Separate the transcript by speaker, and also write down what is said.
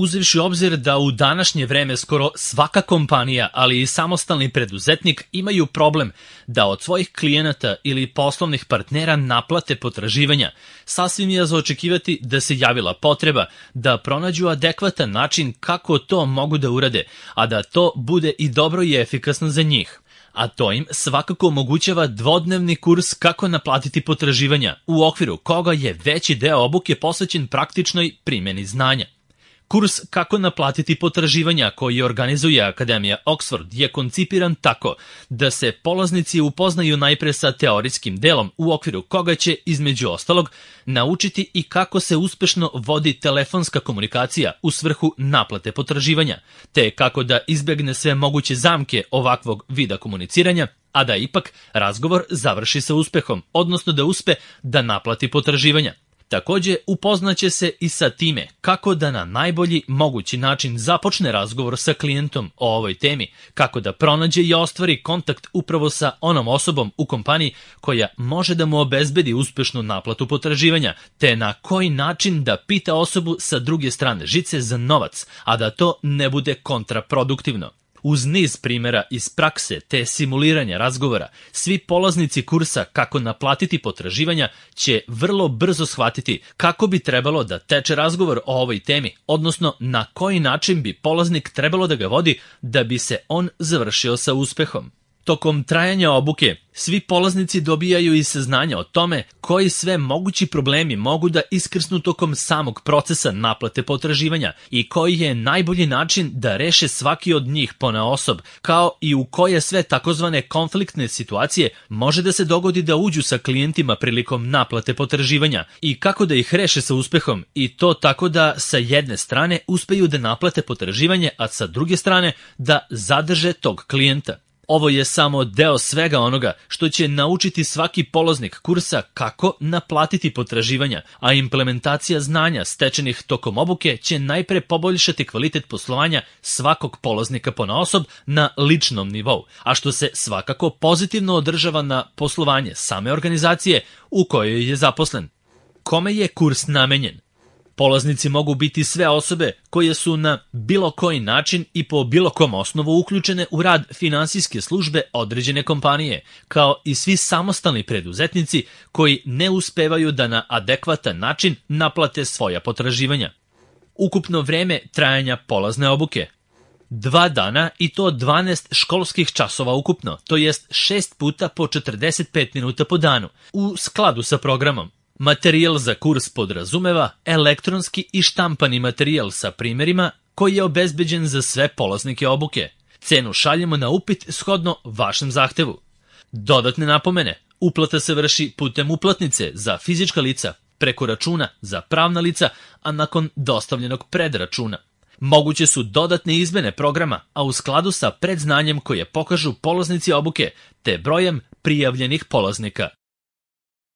Speaker 1: uzevši u obzir da u današnje vreme skoro svaka kompanija, ali i samostalni preduzetnik imaju problem da od svojih klijenata ili poslovnih partnera naplate potraživanja, sasvim je za očekivati da se javila potreba da pronađu adekvatan način kako to mogu da urade, a da to bude i dobro i efikasno za njih. A to im svakako omogućava dvodnevni kurs kako naplatiti potraživanja, u okviru koga je veći deo obuke posvećen praktičnoj primjeni znanja. Kurs kako naplatiti potraživanja koji organizuje Akademija Oxford je koncipiran tako da se polaznici upoznaju najpre sa teorijskim delom u okviru koga će, između ostalog, naučiti i kako se uspešno vodi telefonska komunikacija u svrhu naplate potraživanja, te kako da izbegne sve moguće zamke ovakvog vida komuniciranja, a da ipak razgovor završi sa uspehom, odnosno da uspe da naplati potraživanja. Takođe, upoznaće se i sa time kako da na najbolji mogući način započne razgovor sa klijentom o ovoj temi, kako da pronađe i ostvari kontakt upravo sa onom osobom u kompaniji koja može da mu obezbedi uspešnu naplatu potraživanja, te na koji način da pita osobu sa druge strane žice za novac, a da to ne bude kontraproduktivno. Uz niz primjera iz prakse te simuliranja razgovora, svi polaznici kursa kako naplatiti potraživanja će vrlo brzo shvatiti kako bi trebalo da teče razgovor o ovoj temi, odnosno na koji način bi polaznik trebalo da ga vodi da bi se on završio sa uspehom. Tokom trajanja obuke, svi polaznici dobijaju i saznanja o tome koji sve mogući problemi mogu da iskrsnu tokom samog procesa naplate potraživanja i koji je najbolji način da reše svaki od njih ponaosob, kao i u koje sve takozvane konfliktne situacije može da se dogodi da uđu sa klijentima prilikom naplate potraživanja i kako da ih reše sa uspehom, i to tako da sa jedne strane uspeju da naplate potraživanje, a sa druge strane da zadrže tog klijenta. Ovo je samo deo svega onoga što će naučiti svaki polaznik kursa kako naplatiti potraživanja, a implementacija znanja stečenih tokom obuke će najpre poboljšati kvalitet poslovanja svakog polaznika ponaosob na ličnom nivou, a što se svakako pozitivno održava na poslovanje same organizacije u kojoj je zaposlen. Kome je kurs namenjen? Polaznici mogu biti sve osobe koje su na bilo koji način i po bilo kom osnovu uključene u rad finansijske službe određene kompanije, kao i svi samostalni preduzetnici koji ne uspevaju da na adekvatan način naplate svoja potraživanja. Ukupno vreme trajanja polazne obuke: 2 dana i to 12 školskih časova ukupno, to jest 6 puta po 45 minuta po danu, u skladu sa programom. Materijal za kurs podrazumeva elektronski i štampani materijal sa primjerima koji je obezbeđen za sve polaznike obuke. Cenu šaljemo na upit shodno vašem zahtevu. Dodatne napomene: uplata se vrši putem uplatnice za fizička lica, preko računa za pravna lica, a nakon dostavljenog predračuna. Moguće su dodatne izmene programa, a u skladu sa predznanjem koje pokažu polaznici obuke te brojem prijavljenih polaznika.